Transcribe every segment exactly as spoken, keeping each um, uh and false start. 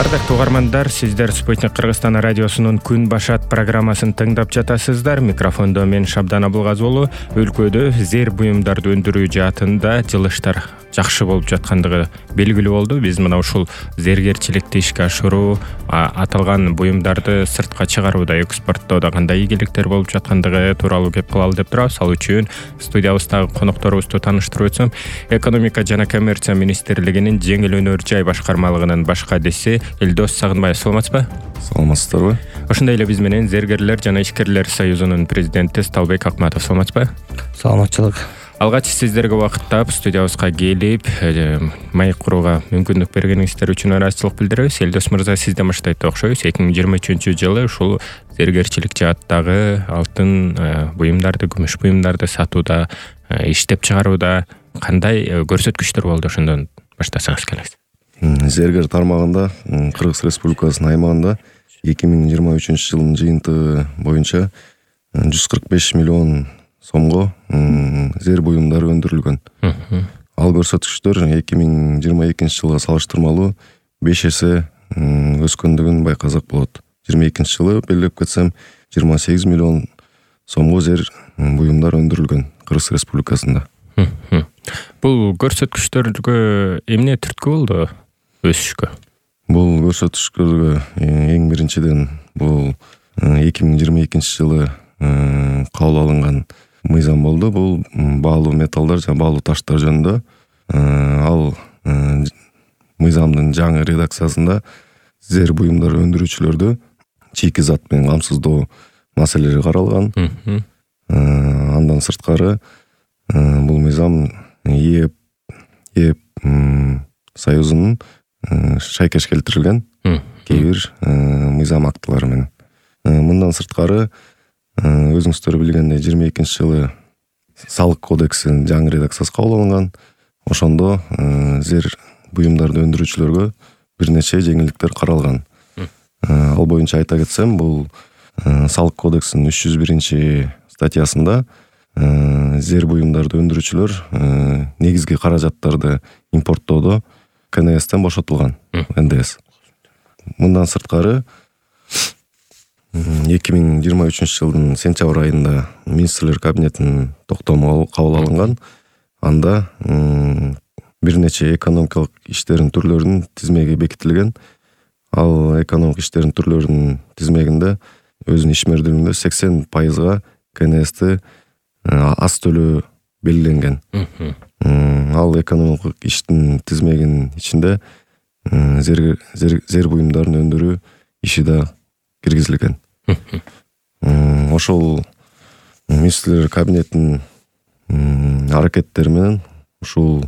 Ардактуу угармандар, сиздер Спутник Кыргызстан радиосунун Күн башат программасын тыңдап жатасыздар. Микрофондо мен Шабдан Абылгазы уулу. Өлкөдө зер буюмдарды өндүрүү жаатында жылыштар жакшы болуп жаткандыгы белгилүү болду. Биз мына ушул зергерчиликти ишке ашыруу, аталган буюмдарды сыртка чыгарууда, экспорттоодо кандай ийгиликтер болуп жаткандыгы тууралуу кеп кылалы деп турабыз. Ал үчүн студиябыздагы конокторубузду тааныштырып өтсөм, Экономика жана коммерция министрлигинин жеңил өнөр жай башкармалыгынын баш кадиси Элдос Сагынбаев. Саламатсызбы? Саламатсыздарбы? Ошондой эле биз менен Зергерлер жана ишкерлер союзунун президенти Сталбек Акматов. Саламатсызбы? Саламатчылык. Алгач сиздерге убакыт таап студиябызга келип, маек курууга мүмкүндүк бергениңиздер үчүн ыраазычылык билдиребиз. Элдос мырза, сизден баштайт окшойбуз. эки миң жыйырма үчүнчү жылы ушул зергерчилик жааттагы алтын буюмдарды, күмүш буюмдарды сатууда, иштеп чыгарууда кандай көрсөткүчтөр болду? Ошондон баштасаңыз келеңиз. Зергер тармагында Кыргыз Республикасынын аймагында эки миң жыйырма үчүнчү жылдын жыйынтыгы боюнча жүз кырк беш миллион сомго зер буюмдары өндүрүлгөн. Ал көрсөткүчтөр эки миң жыйырма экинчи жылга салыштырмалуу беш эсе өскөндүгүн байкасак болот. жыйырма экинчи жылы белгилеп кетсем жыйырма сегиз миллион сомго зер буюмдар өндүрүлгөн Кыргыз Республикасында. Бул көрсөткүчтөргө эмне түрткү болду өсүшкө? Бул көрсөткүчтөргө эң биринчиден бул эки миң жыйырма экинчи жылы кабыл алынган мыйзам болду. Бул баалуу металлдар жана баалуу таштар жөнүндө. Ал мыйзамдын жаңы редакциясында зер буюмдар өндүрүүчүлөрдү чийки зат менен камсыздоо маселелери каралган. Андан сырткары бул мыйзам ЕЭП ЕЭП союзунун шайкеш келтирилген кээ бир мыйзам актылары менен. Мындан сырткары өзүңүздөр билгендей жыйырма экинчи жылы салык кодексинин жаңы редакциясы кабыл алынган. Ошондо зер буюмдарды өндүрүүчүлөргө бир нече жеңилдиктер каралган. Ал боюнча айта кетсем, бул салык кодексинин үч жүз биринчи статьясында зер буюмдарды өндүрүүчүлөр негизги каражаттарды импорттоодо ка эн эстен бошотулган. эн дэ эс. Мындан сырткары эки миң жыйырма үчүнчү жылдын сентябрь айында министрлер кабинетинин токтому кабыл алынган. Анда бир нече экономикалык иштердин түрлөрүнүн тизмеги бекитилген. Ал экономикалык иштердин түрлөрүнүн тизмегинде өзүнүн ишмердүүлүгүндө сексен пайызга ка эн эсти аз төлөө белгиленген. Ал экономикалык иштин тизмегинин ичинде зер зер буюмдарын өндүрүү иши да киргизилген. Ошол министрлер кабинетинин аракеттери менен ушул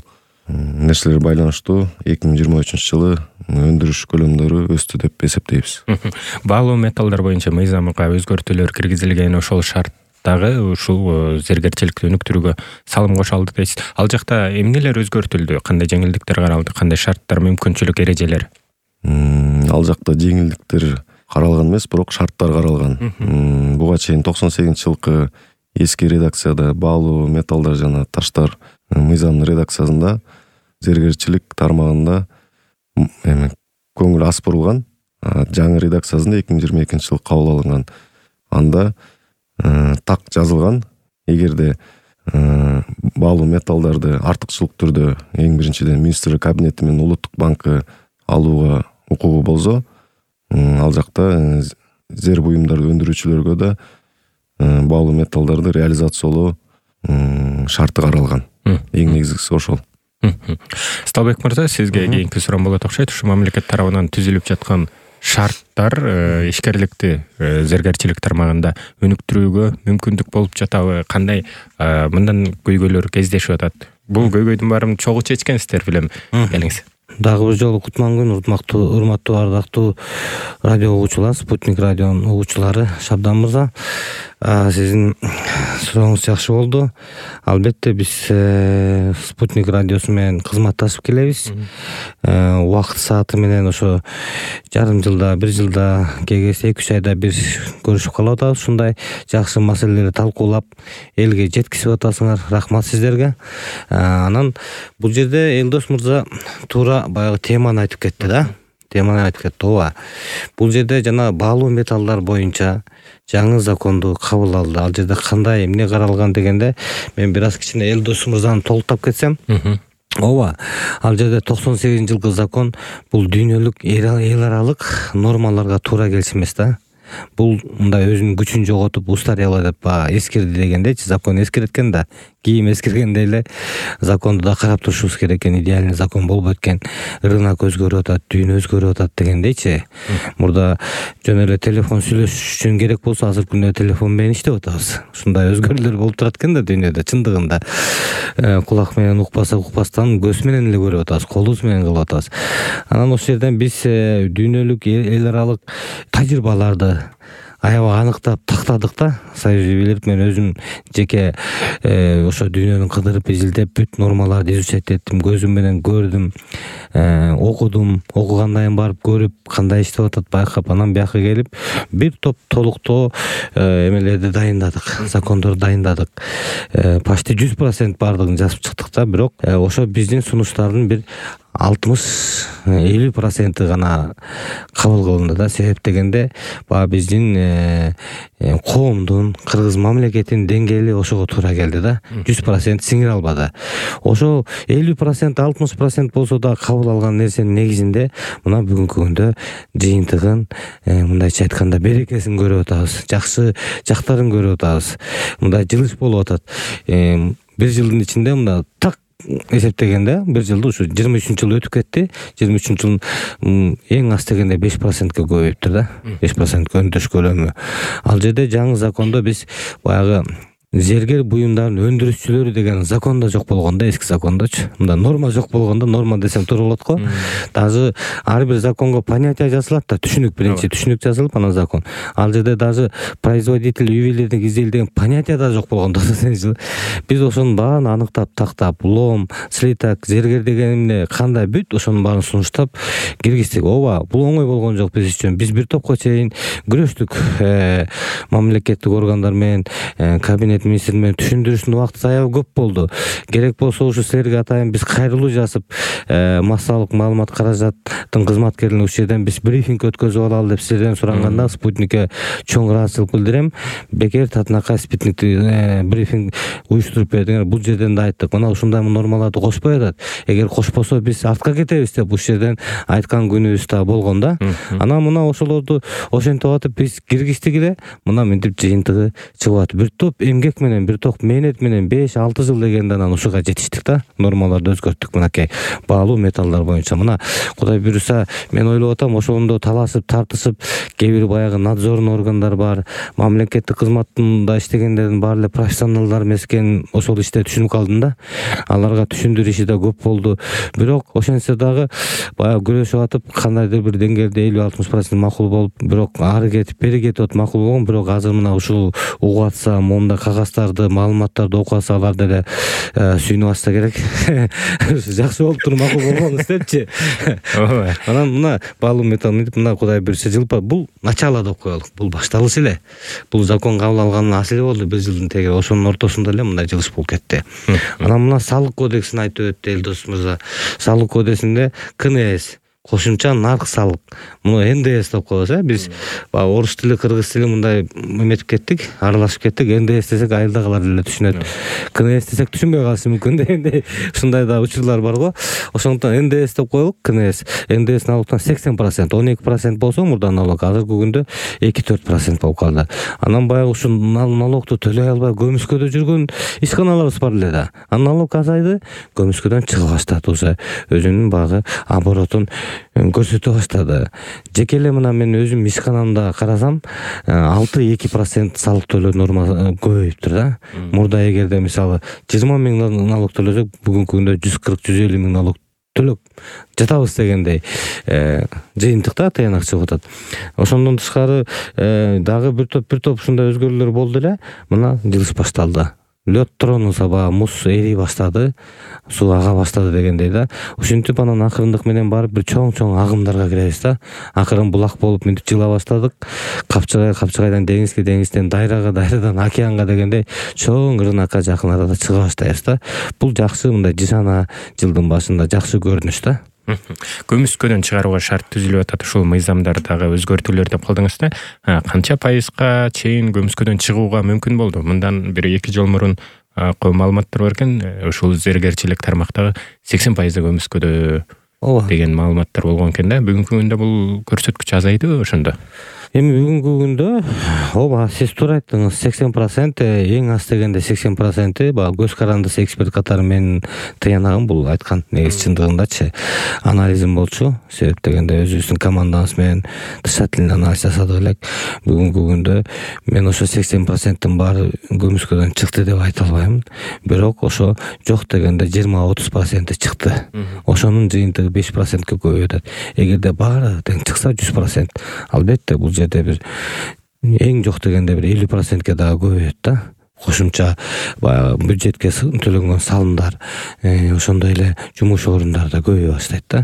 нерселер байланыштуу эки миң жыйырма үчүнчү жылы өндүрүш көлөмдөрү өстү деп эсептейбиз. Баалуу металлдар боюнча мыйзамга өзгөртүүлөр киргизилген, ошол шарттагы ушул зергерчиликти өнүктүрүүгө салым кошо алды дейсиз. Ал жакта эмнелер өзгөртүлдү? Кандай жеңилдиктер каралды? Кандай шарттар, мүмкүнчүлүк, эрежелер? Ал жакта жеңилдиктер каралган эмес, бирок шарттар каралган. Буга чейин токсон сегизинчи жылкы эски редакцияда баалуу металлдар жана таштар мыйзамдын редакциясында зергерчилик тармагында эми көңүл аз бурулган. Жаңы редакциясында эки миң жыйырма экинчи жылы кабыл алынган. Анда так жазылган, эгерде баалуу металлдарды артыкчылык түрдө эң биринчиден министрлер кабинети менен улуттук банкы алууга укугу болсо, ал жакта зер буюмдарды өндүрүүчүлөргө да баалуу металлдарды реализациялоо шарты каралган. Эң негизгиси ошол. Сталбек мырза, сизге кийинки суроом болот окшойт. Ушу мамлекет тарабынан түзүлүп жаткан шарттар ишкерликти зергерчилик тармагында өнүктүрүүгө мүмкүндүк болуп жатабы? Кандай мындан көйгөйлөр кездешип атат? Бул көйгөйдүн баарын чогуу чечкенсиздер билем. Келиңиз. Дагы бир жолу кутман күн, урматтуу урматтуу ардактуу радио угуучулар, Спутник радионун угуучулары. Шабдан мырза, сиздин сурооңуз жакшы болду. Албетте биз Спутник радиосу менен кызматташып келебиз. Убакыт сааты менен ошо жарым жылда, бир жылда, кегесе эки үч айда бир көрүшүп калып атабыз. Ушундай жакшы маселелерди талкуулап элге жеткизип атасыңар. Рахмат сиздерге. Анан бул жерде Элдос мырза туура баягы теманы айтып кетти да. теманы айтып кетти. ооба бул жерде жана баалуу металлдар боюнча жаңы законду кабыл алды. Ал жерде кандай эмне каралган дегенде мен бир аз кичине Элдос мырзаны толуктап кетсем, ооба ал жерде токсон сегизинчи жылкы закон бул дүйнөлүк эл аралык нормаларга туура келчү эмес да. Бул мындай өзүнүн күчүн жоготуп устарела деп баягы эскирди дегендейчи. Закон эскирет экен да, кийим эскиргендей эле законду да карап турушубуз керек экен. Идеальный закон болбойт экен. Рынок өзгөрүп атат, дүйнө өзгөрүп атат дегендейчи. Мурда жөн эле телефон сүйлөшүш үчүн керек болсо азыркы күндө телефон менен иштеп атабыз. Ушундай өзгөрүүлөр болуп турат экен да дүйнөдө. Чындыгында кулак менен укпаса укпастан көз менен эле көрүп атабыз, колубуз менен кылып атабыз. Анан ошол жерден биз дүйнөлүк эл аралык тажрыйбаларды аябай аныктап тактадык да. Союз ювелир мен өзүм жеке ошо дүйнөнү кыдырып изилдеп бүт нормаларды изучать эттим, көзүм менен көрдүм, окудум, окугандан кийин барып көрүп кандай иштеп атат байкап, анан бияка келип бир топ толуктоо эмелерди дайындадык, закондорду дайындадык. Почти жүз процент баардыгын жазып чыктык да. Бирок ошо биздин сунуштардын бир алтымыш элүү проценти гана кабыл кылынды да. Себеп дегенде баягы биздин коомдун, кыргыз мамлекетинин деңгээли ошого туура келди да. жүз процент сиңире албады. Ошо элүү процент, алтымыш процент болсо да кабыл алган нерсенин негизинде мына бүгүнкү күндө жыйынтыгын, мындайча айтканда берекесин көрүп атабыз, жакшы жактарын көрүп атабыз. Мындай жылыш болуп атат. Бир жылдын ичинде мында так эсептегенде бир жылда ушу жыйырма үчүнчү жыл өтүп кетти. жыйырма үчүнчү жыл эң аз дегенде беш процентке көбөйүптүр да. беш процентке өндөш көлөмү. Ал жерде жаңы закондо биз баягы зергер буюмдардын өндүрүшчүлөрү деген закон да жок болгон да, эски закондочу. Мында норма жок болгондо, норма десем туура болот го. Даже ар бир законго понятие жазылат да, түшүнүк, биринчи түшүнүк жазылып, анан закон. Ал жерде даже производитель ювелирдик изделие деген понятие да жок болгондо биз ошонун баарын аныктап тактап, лом, слиток, зергер деген эмне, кандай бүт ошонун баарын сунуштап киргиздик. Ооба, бул оңой болгон жок биз үчүн. Биз бир топко чейин күрөштүк мамлекеттик органдар менен, кабинет министр менен түшүндүрүүчүн убакыты аябай көп болду. Керек болсо ушу силерге атайын биз кайрылуу жасып, массалык маалымат каражаттын кызматкерлерин ушул жерден биз брифинг өткөзүп алалы деп силерден суранганда Спутникке чоң ыраазычылык билдирем. Бекер татынакай Спутникти брифинг уюштуруп бердиңер. Бул жерден да айттык. Мына ушундай нормаларды кошпой атат. Эгер кошпосо биз артка кетебиз деп ушул жерден айткан күнүбүз да болгон да. Анан мына ошолорду ошентип атып биз киргиздик эле. Мына мынтип жыйынтыгы чыгып атат. Бир топ эмгек менен, бир топ мээнет менен беш алты жыл дегенде анан ушуга жетиштик да. Нормаларды өзгөрттүк мынакей баалуу металлдар боюнча. Мына Кудай буйруса мен ойлоп атам, ошондо талашып, тартышып, кээ бир баягы надзорный органдар бар, мамлекеттик кызматында иштегендердин баары эле профессионалдар эмес экенин ошол иште түшүнүп калдым да. Аларга түшүндүрүү иши да көп болду. Бирок ошентсе дагы баягы күрөшүп атып, кандайдыр бир деңгээлде элүү алтымыш процент макул болуп, бирок ары кетип, бери кетип атып макул болгон. Бирок азыр мына ушул угуп атса, монда кагаздарды, маалыматтарды окуп атса, алар деле сүйүнүп атса керек. Жакшы болуп туруп макул болгон депчи. Ооба. Анан мына баалуу металл мынтип мына Кудай буйруса жылпа бул начало деп коелук. Бул башталыш эле. Бул закон кабыл алганына аз эле болду, бир жылдын тегере. Ошонун ортосунда эле мындай жылыш болуп кетти. Анан мына салык кодексин айтып өттү Элдос мырза. Салык кодексинде ка эн эс, кошумча нарк салык. Муну эн дэ эс деп коебуз, э? Биз баягы орус тили, кыргыз тили мындай эметип кеттик, аралашып кеттик. эн дэ эс десек айылдагылар эле түшүнөт. ка эн эс десек түшүнбөй калышы мүмкүн дегендей ушундай да учурлар бар го. Ошондуктан эн дэ эс деп коелук. ка эн эс, эн дэ эс налогтон сексен процент, он эки процент болсо мурда налог, азыркы күндө эки төрт процент болуп калды. Анан баягы ушул налогту төлөй албай көмүскөдө жүргөн ишканаларыбыз бар эле да. Анан налог азайды, көмүскөдөн чыга баштады, уже өзүнүн баягы оборотун көрсөтө баштады. Жеке эле мына мен өзүм ишканамда карасам, алты эки процент салык төлөө норма көбөйүптүр да. Мурда эгерде мисалы жыйырма миң налог төлөсөк, бүгүнкү күндө жүз кырк жүз элүү миң налог төлөп жатабыз дегендей жыйынтыкта таянак чыгып атат. Ошондон тышкары дагы бир топ бир топ ушундай өзгөрүүлөр болду эле. Мына жылыш башталды. Лёд тронуса баягы муз эри баштады, суу ага баштады дегендей да. Ушинтип анан акырындык менен барып бир чоң-чоң агымдарга киребиз да. Акырын булак болуп мынтип жыла баштадык. Капчыгай, Капчыгайдан деңизге, деңизден дайрага, дайрадан океанга дегендей чоң рынокко жакын арада чыга баштайбыз да. Бул жакшы, мындай жышана жылдын башында жакшы көрүнүш да. Көмүскөдөн чыгарууга шарт түзүлүп атат, ушул мыйзамдар дагы өзгөртүүлөр деп калдыңыз да. Канча пайызга чейин көмүскөдөн чыгууга мүмкүн болду? Мындан бир эки жыл мурун маалыматтар бар экен, ушул зергерчилик тармактагы сексен пайызы көмүскөдө деген маалыматтар болгон экен да. Бүгүнкү күндө бул көрсөткүч азайдыбы ошондо? Эми бүгүнкү күндө ооба сиз туура айттыңыз, сексен процент эң аз дегенде сексен процент баягы көз карандысы эксперт катары менин тыянагым бул айткан негизи чындыгындачы анализим болчу. Себеп дегенде өзүбүздүн командабыз менен тышат анализ жасадык элек. Бүгүнкү күндө мен ошо сексен проценттин баары көмүскөдөн чыкты деп айта албайм. Бирок ошо жок дегенде жыйырма отуз проценти чыкты. Ошонун жыйынтыгы беш процентке көбөйүп атат. Эгерде баары тең чыкса жүз процент, албетте бул жерде бир эң жок дегенде бир элүү процентке дагы көбөйөт да. Кошумча баягы бюджетке төлөнгөн салымдар, ошондой эле жумуш орундары да көбөйө баштайт да.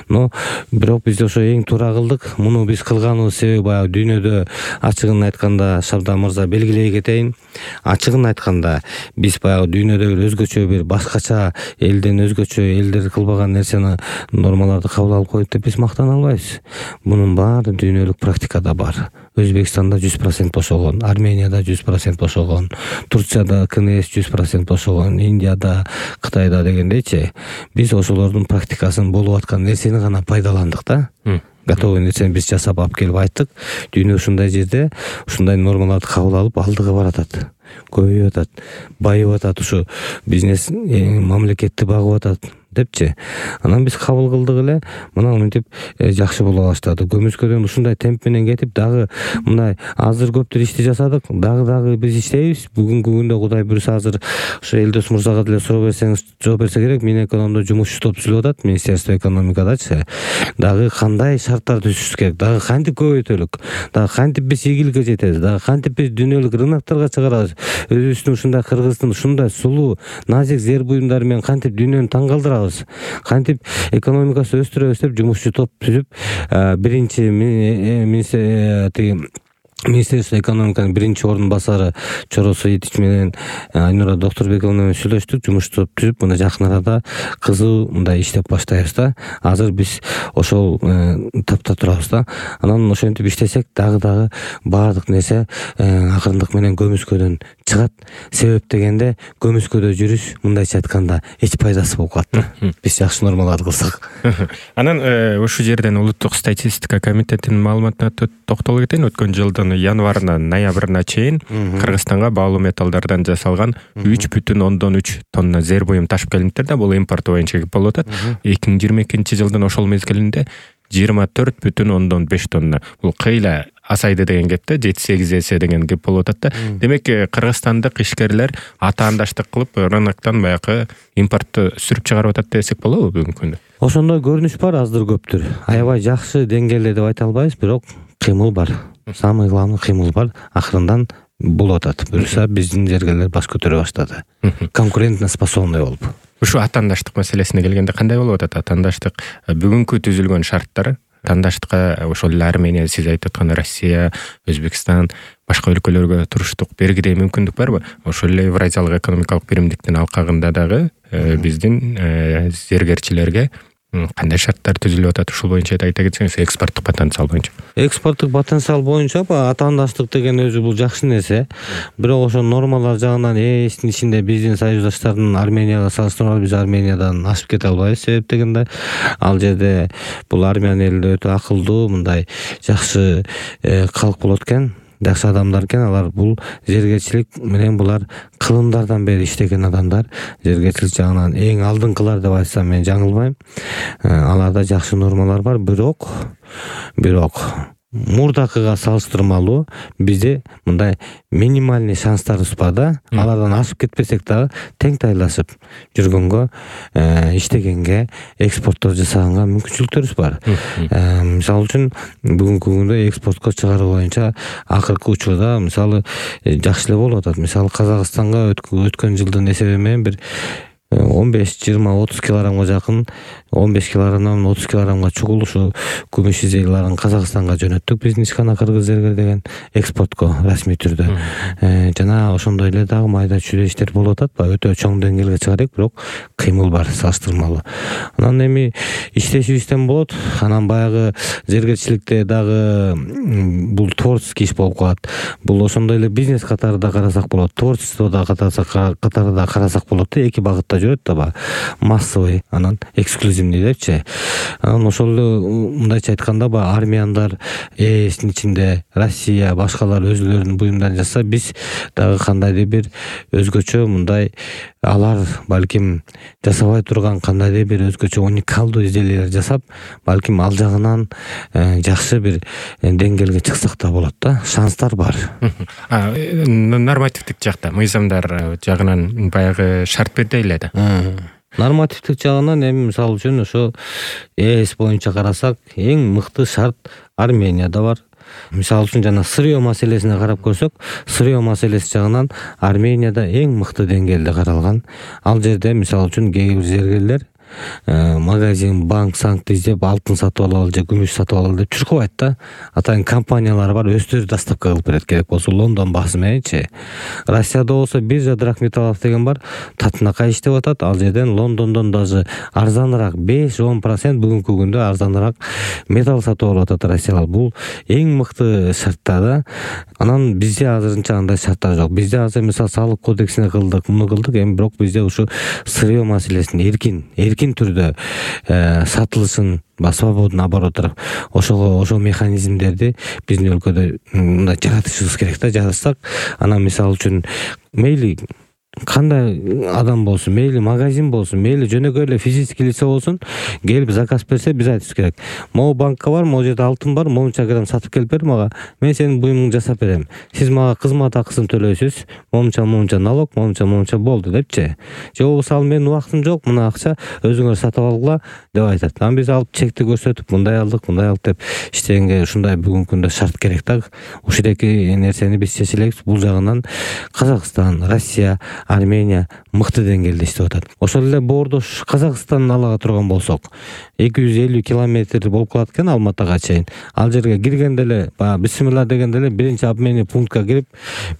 Но бирок биз ошо эң туура кылдык. Муну биз кылганыбыз себеби баягы дүйнөдө ачыгын айтканда Шабдан мырза белгилей кетейин. Ачыгын айтканда биз баягы дүйнөдө бир өзгөчө бир башкача элден өзгөчө элдер кылбаган нерсени нормаларды кабыл алып коет деп биз мактана албайбыз. Мунун баары дүйнөлүк практикада бар. Өзбекстанда жүз процент бошогон, Арменияда жүз процент бошогон, Турцияда КНС жүз процент бошогон, Индияда, Кытайда дегендейчи. Биз ошолордун практикасын болуп аткан нерсени гана пайдаландык да. Готовый нерсени биз жасап алып келип айттык. Дүйнө ушундай жерде ушундай нормаларды кабыл алып алдыга баратат. Көбөйүп атат, байып атат, ушу бизнес мамлекетти багып атат депчи. Анан биз кабыл кылдык эле, мына мынтип жакшы боло баштады. Көмүскөдөн ушундай темп менен кетип дагы мындай азыр көптөр ишти жасадык, дагы дагы биз иштейбиз. Бүгүнкү күндө Кудай буйруса азыр ошо Элдос мырзага деле суроо берсеңиз жооп берсе керек. Минэкономдо жумушчу топ түзүлүп атат, Министерство экономикадачы. Дагы кандай шарттар түзүшүбүз керек, дагы кантип көбөйтөлүк, дагы кантип биз ийгиликке жетебиз, дагы кантип биз дүйнөлүк рынокторго чыгарабыз. Өзүбүздүн ушундай Кыргыздын ушундай сулуу, назик зер буюмдары менен кантип дүйнөнү таң калтырабыз, кантип экономикасын өстүрөбүз деп жумушчу топ түзүп, биринчи Министерство экономиканын биринчи ордун басары Чоро Соитич менен Айнура Докторбековна менен сүйлөштүк, жумуш топ түзүп, мына жакын арада кызуу мындай иштеп баштайбыз да. Азыр биз ошол тапта турабыз да. Анан ошентип иштесек дагы дагы баардык нерсе акырындык менен көмүскөдөн чыгат. Себеп дегенде көмүскөдө жүрүш мындайча айтканда эч пайдасы болуп калат да. Биз жакшы нормаларды кылсак. Анан ушул жерден улуттук статистика комитетинин маалыматына токтоло кетейин. Өткөн жылдын январынан ноябрына чейин Кыргызстанга баалуу металлдардан жасалган үч бүтүн ондон үч тонна зер буюм ташып келиптир да. Бул импорт боюнча болуп атат. эки миң жыйырма экинчи жылдын ошол мезгилинде жыйырма төрт бүтүн ондон беш тонна. Бул кыйла асайды деген кеп да, жети сегиз эсе деген кеп болуп атат да. Демек кыргызстандык ишкерлер атаандаштык кылып рыноктон баягы импортту сүрүп чыгарып атат десек болобу бүгүнкү күндө? Ошондой көрүнүш бар аздыр көптүр. Аябай жакшы деңгээлде деп айта албайбыз, бирок кыймыл бар. Самый главный кыймыл бар. Акырындан болуп атат. Буюрса биздин зергерлер баш көтөрө баштады. Конкурентно способный болуп. Ушу атаандаштык маселесине келгенде кандай болуп атат? Атаандаштык бүгүнкү түзүлгөн шарттар атаандаштыкка ошол эле Армения, сиз айтып аткан Россия, Өзбекстан, башка өлкөлөргө туруштук бергидей мүмкүндүк барбы? Ошол эле Евразиялык экономикалык биримдиктин алкагында дагы биздин зергерчилерге кандай шарттар түзүлүп атат? Ушул боюнча айта кетсеңиз, экспорттук потенциал боюнча. Экспорттук потенциал боюнча атаандаштык деген өзү бул жакшы нерсе. Бирок ошо нормалар жагынан эстин ичинде биздин союздаштардын Арменияга салыштырмалуу биз Армениядан ашып кете албайбыз. Себеп дегенде ал жерде бул армян эли өтө акылдуу, мындай жакшы калк болот экен. Жакшы адамдар экен, алар бул зергерчилик менен булар кылымдардан бери иштеген адамдар. Зергерчилик жагынан эң алдыңкылар деп айтсам мен жаңылбайм. Аларда жакшы нормалар бар, бирок бирок мурдакыга салыштырмалуу бизде мындай минимальный шанстарыбыз бар да. Алардан ашып кетпесек дагы тең тайлашып жүргөнгө, иштегенге, экспорттор жасаганга мүмкүнчүлүктөрүбүз бар. Мисалы үчүн бүгүнкү күндө экспортко чыгаруу боюнча акыркы учурда мисалы жакшы эле болуп атат. Мисалы Казакстанга өткөн жылдын эсеби менен бир он беш, жыйырма, отуз килограммга жакын, он беш килограммдан отуз килограммга чугул ушу күмүш изделияларын Казакстанга жөнөттүк. Биздин ишкана кыргыз зергер деген экспортко расмий түрдө. Жана ошондой эле дагы майда чүйдө иштер болуп атат. Өтө чоң деңгээлге чыга элек, бирок кыймыл бар салыштырмалуу. Анан эми иштешибизден болот. Анан баягы зергерчиликте дагы бул творческий иш болуп калат. Бул ошондой эле бизнес катарында карасак болот, творчестводо катарында карасак болот да, эки багытта жүрөт да, баягы массовый, анан эксклюзивный депчи. Анан ошол эле мындайча айтканда баягы армияндар эстин ичинде Россия башкалар өзүлөрүнүн буюмдарын жасаса, биз дагы кандайдыр бир өзгөчө мындай алар балким жасабай турган кандайдыр бир өзгөчө уникалдуу изделиялар жасап, балким ал жагынан жакшы бир деңгээлге чыксак да болот да, шанстар бар. Нормативдик жакта, мыйзамдар жагынан баягы шарт берди эле да. Нормативдик жагынан эми мисалы үчүн ошо ЭС боюнча карасак, эң мыкты шарт Арменияда бар. Мисалы үчүн жана сырьё маселесине карап көрсөк, сырьё маселеси жагынан Арменияда эң мыкты деңгээлде каралган. Ал жерде мисалы үчүн кээ бир зергерлер магазин, банк, санкты издеп алтын сатып алалы же күмүш сатып алалы деп чуркабайт да. Атайын компаниялар бар, өздөрү доставка кылып берет, керек болсо Лондон базы мененчи. Россияда болсо биржа Драгметаллов деген бар, татынакай иштеп атат. Ал жерден Лондондон даже арзаныраак беш-он процент бүгүнкү күндө арзаныраак металл сатып алып атат Россиялар. Бул эң мыкты шарттар да. Анан бизде азырынча андай шарттар жок. Бизде азыр мисалы салык кодексине кылдык, муну кылдык, эми бирок бизде ушу сырьё маселесин эркин эркин түрдө сатылышын, свободный оборот, ошого ошол механизмдерди биздин өлкөдө мындай жаратышыбыз керек да. Жаратсак, анан мисалы үчүн мейли кандай адам болсун, мейли магазин болсун, мейли жөнөкөй эле физический лицо болсун, келип заказ берсе, биз айтышыбыз керек. Могу банкка бар, могу жерде алтын бар, моунча грамм сатып келип бер мага, мен сенин буюмуңду жасап берем. Сиз мага кызмат акысын төлөйсүз, моунча моунча налог, моунча моунча болду депчи. Же болбосо ал менин убактым жок, мына акча өзүңөр сатып алгыла деп айтат. Анан биз алып чекти көрсөтүп, мындай алдык, мындай алдык деп иштегенге ушундай бүгүнкү күндө шарт керек да. Ушундайки нерсени биз чече элекпиз. Бул жагынан Казакстан, Россия, Армения мыкты деңгээлде иштеп атат. Ошол эле боордош Казакстандын алага турган болсок, эки жүз элүү километр болуп калат экен Алматага чейин. Ал жерге киргенде эле, баягы бисмилла дегенде эле биринчи обменный пунктка кирип,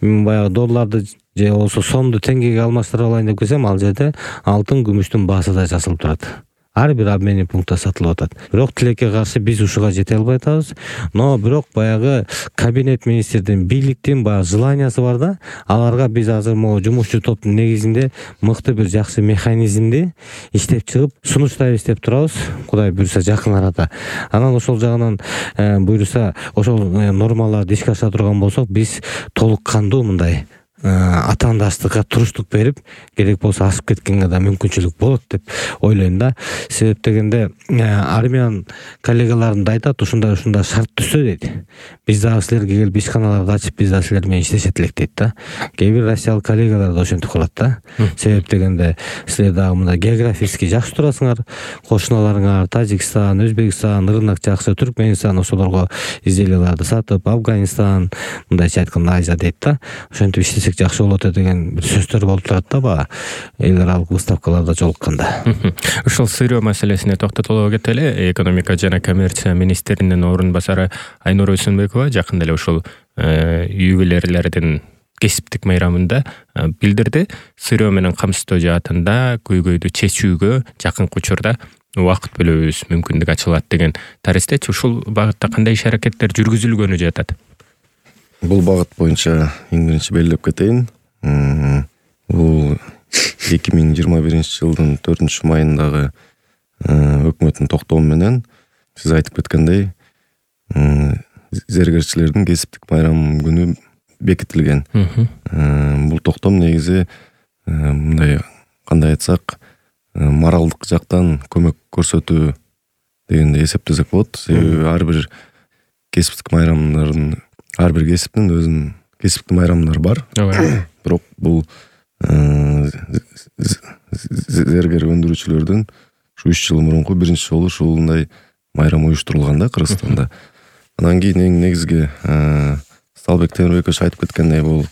баягы долларды же болсо сомду теңгеге алмаштырып алайын деп келсем, ал жерде алтын, күмүштүн баасы да жазылып турат. Ар бир обменный пунктта сатылып атат. Бирок тилекке каршы биз ушуга жете албай атабыз. Но бирок баягы кабинет министрдин, бийликтин баягы желаниясы бар да. Аларга биз азыр могу жумушчу топтун негизинде мыкты бир жакшы механизмди иштеп чыгып сунуштайбыз деп турабыз. Кудай буйруса жакын арада. Анан ошол жагынан буйруса ошол нормаларды ишке аша турган болсок, биз толук кандуу мындай атаандаштыкка туруштук берип, керек болсо ашып кеткенге да мүмкүнчүлүк болот деп ойлойм да. Себеп дегенде армян коллегаларым да айтат, ушундай ушундай шарт түзсө дейт. Биз дагы силерге келип ишканаларды ачып, биз дагы силер менен иштешет элек дейт да. Кээ бир россиялык коллегалар да ошентип калат да. Себеп дегенде силер дагы мындай географически жакшы турасыңар, кошуналарыңар Тажикстан, Өзбекстан, рынок жакшы, Түркмөнстан, ошолорго изделияларды сатып, Афганистан, мындайча айтканда Азия дейт да. Ошентип иштесек жакшы болот деген бир сөздөр болуп турат да, баягы эл аралык выставкаларда жолукканда. Ушул сырьё маселесине токтотоло кетели. Экономика жана коммерция министринин орун басары Айнура Өсөнбекова жакында эле ушул ювелирлердин кесиптик майрамында билдирди. Сырьё менен камсыздоо жаатында көйгөйдү чечүүгө жакынкы учурда убакыт бөлөбүз мүмкүндүк ачылат деген таристечи. Ушул багытта кандай иш аракеттер жүргүзүлгөнү жатат? Бул багыт боюнча эң биринчи белгилеп кетейин. Бул эки миң жыйырма биринчи жылдын төртүнчү майындагы өкмөттүн токтому менен сиз айтып кеткендей зергерчилердин кесиптик майрамы күнү бекитилген. Бул токтом негизи мындай кандай айтсак, моралдык жактан көмөк көрсөтүү дегенди эсептесек болот. Себеби ар бир кесиптик майрамдардын, ар бир кесиптин өзүнүн кесиптик майрамдары бар. Бирок бул зергер өндүрүүчүлөрдүн ушу үч жыл мурунку биринчи жолу ушундай майрам уюштурулган да Кыргызстанда. Анан кийин эң негизги Салбек Темирбекович айтып кеткендей, бул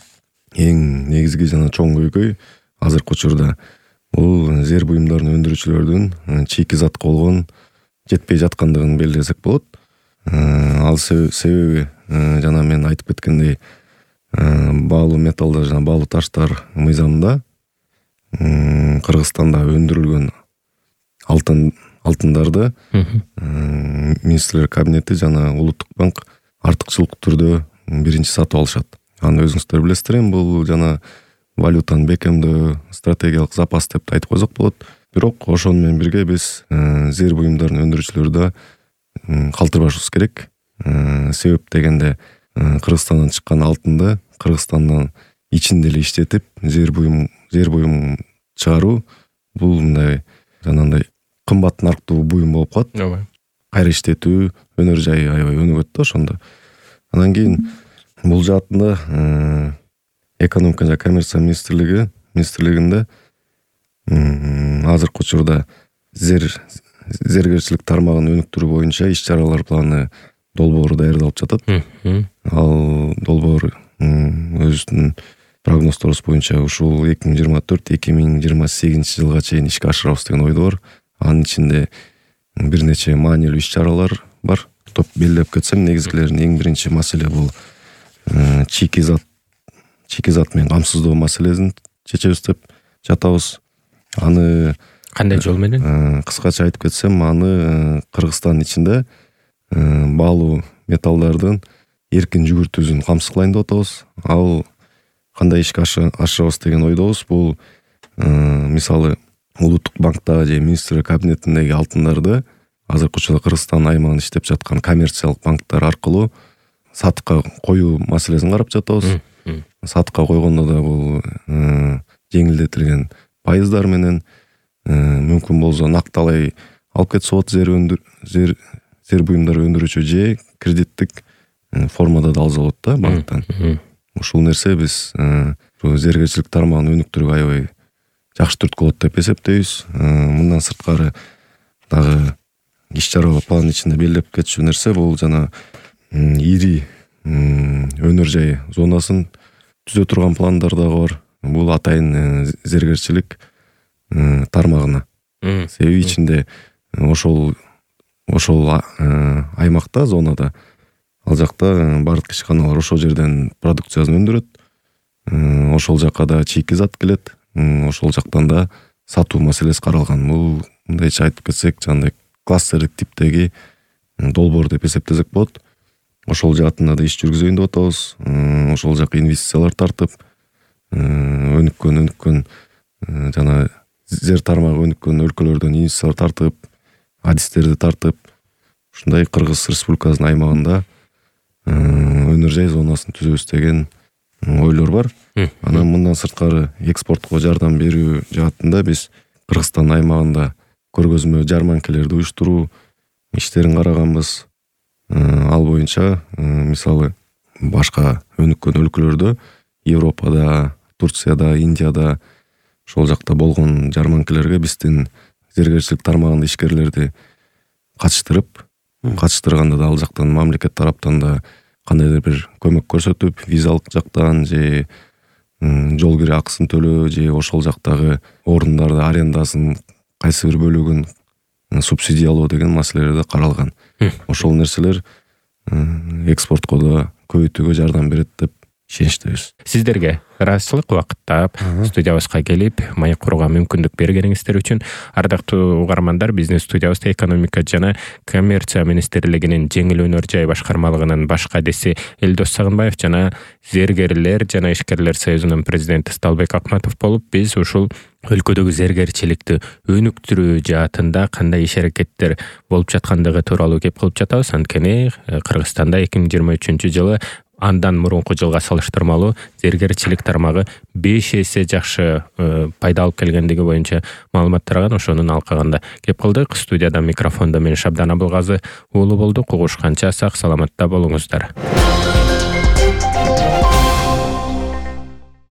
эң негизги жана чоң көйгөй азыркы учурда бул зер буюмдарын өндүрүүчүлөрдүн чийки затка болгон жетпей жаткандыгын белгилесек болот. Ал себеби жана мен айтып кеткендей, баалуу металлдар жана баалуу таштар мыйзамында Кыргызстанда өндүрүлгөн алтын алтындарды министрлер кабинети жана улуттук банк артыкчылык түрдө биринчи сатып алышат. Аны өзүңүздөр билесиздер, эми бул жана валютаны бекемдөө, стратегиялык запас деп айтып койсок болот. Бирок ошону менен бирге биз зер буюмдарын өндүрүүчүлөрү да калтырбашыбыз керек. Себеп дегенде Кыргызстандан чыккан алтынды Кыргызстандан ичинде эле иштетип зер буюм зер буюм чыгаруу бул мындай жанагындай кымбат нарктуу буюм болуп калат. Ооба. Кайра иштетүү өнөр жайы аябай өнүгөт да ошондо. Анан кийин бул жаатында экономика жана коммерция министрлиги министрлигинде азыркы учурда зер зергерчилик тармагын өнүктүрүү боюнча иш-чаралар планы долбоору даярдалып жатат. Ал долбоор өзүнүн прогнозторубуз боюнча ушул эки миң жыйырма төрт эки миң жыйырма сегизинчи жылга чейин ишке ашырабыз деген ойдо бар. Анын ичинде бир нече маанилүү иш-чаралар бар. Топ белгилеп кетсем, негизгилеринин эң биринчи маселе бул чийки зат чийки зат менен камсыздоо маселесин чечебиз деп жатабыз. Аны кандай жол менен? Кыскача айтып кетсем, аны Кыргызстан ичинде баалуу металлдардын эркин жүгүртүүсүн камсыз деп атабыз. Ал кандай ишке ашырабыз деген ойдобуз. Бул мисалы улуттук банктагы же министрлер кабинетиндеги алтындарды азыркы учурда Кыргызстан аймагында иштеп жаткан коммерциялык банктар аркылуу сатыкка коюу маселесин карап жатабыз. Сатыкка койгондо да бул жеңилдетилген пайыздар менен мүмкүн болсо накталай алып кетсе болот. Зер өндүр зер зер буюмдар өндүрүүчү же кредиттик формада да алса болот да банктан. Ушул нерсе биз зергерчилик тармагын өнүктүрүүгө аябай жакшы түрткү болот деп эсептейбиз. Мындан сырткары дагы иш-чара план ичинде белгилеп кетчү нерсе бул жана ири өнөр жай зонасын түзө турган пландар дагы бар. Бул атайын зергерчилик тармагына. Себеби ичинде ошол ошол аймакта, зонада ал жакта бардык ишканалар ошол жерден продукциясын өндүрөт. Ошол жакка да чийки зат келет. Ошол жактан да сатуу маселеси каралган. Бул мындайча айтып кетсек, жандай кластердик типтеги долбоор деп эсептесек болот. Ошол жаатында да иш жүргүзөйүн деп атабыз. Ошол жака инвестициялар тартып, өнүккөн өнүккөн жана зер тармагы өнүккөн өлкөлөрдөн инвестициялар тартып, адистерди тартып, ушундай Кыргыз Республикасынын аймагында өнөр жай зонасын түзөбүз деген ойлор бар. Анан мындан сырткары экспортко жардам берүү жаатында биз Кыргызстан аймагында көргөзмө жарманкелерди уюштуруу иштерин караганбыз. Ал боюнча мисалы башка өнүккөн өлкөлөрдө, Европада, Турцияда, Индияда ошол жакта болгон жарманкелерге биздин зергерчилик тармагында ишкерлерди катыштырып, катыштырганда да ал жактан мамлекет тараптан да кандайдыр бир көмөк көрсөтүп, визалык жактан же жол кире акысын төлөө же ошол жактагы орундарды арендасын кайсы бир бөлүгүн субсидиялоо деген маселелер да каралган. Ошол нерселер экспортко да көбөйтүүгө жардам берет деп ишеничтебиз. Сиздерге ыраазычылык убакытта студиябызга келип маек курууга мүмкүндүк бергениңиздер үчүн. Ардактуу угармандар, биздин студиябызда экономика жана коммерция министрлигинин жеңил өнөр жай башкармалыгынын баш кадиси Элдос Сагынбаев жана зергерлер жана ишкерлер союзунун президенти Сталбек Акматов болуп, биз ушул өлкөдөгү зергерчиликти өнүктүрүү жаатында кандай иш аракеттер болуп жаткандыгы тууралуу кеп кылып жатабыз. Анткени Кыргызстанда эки миң жыйырма үчүнчү жылы андан мурунку жылга салыштырмалуу зергерчилик тармагы беш эсе жакшы пайда алып келгендиги боюнча маалымат тараган. Ошонун алкагында кеп кылдык. Студияда микрофондо мен Шабдан Абылгазы уулу болдук. Угушканча сак саламатта болуңуздар.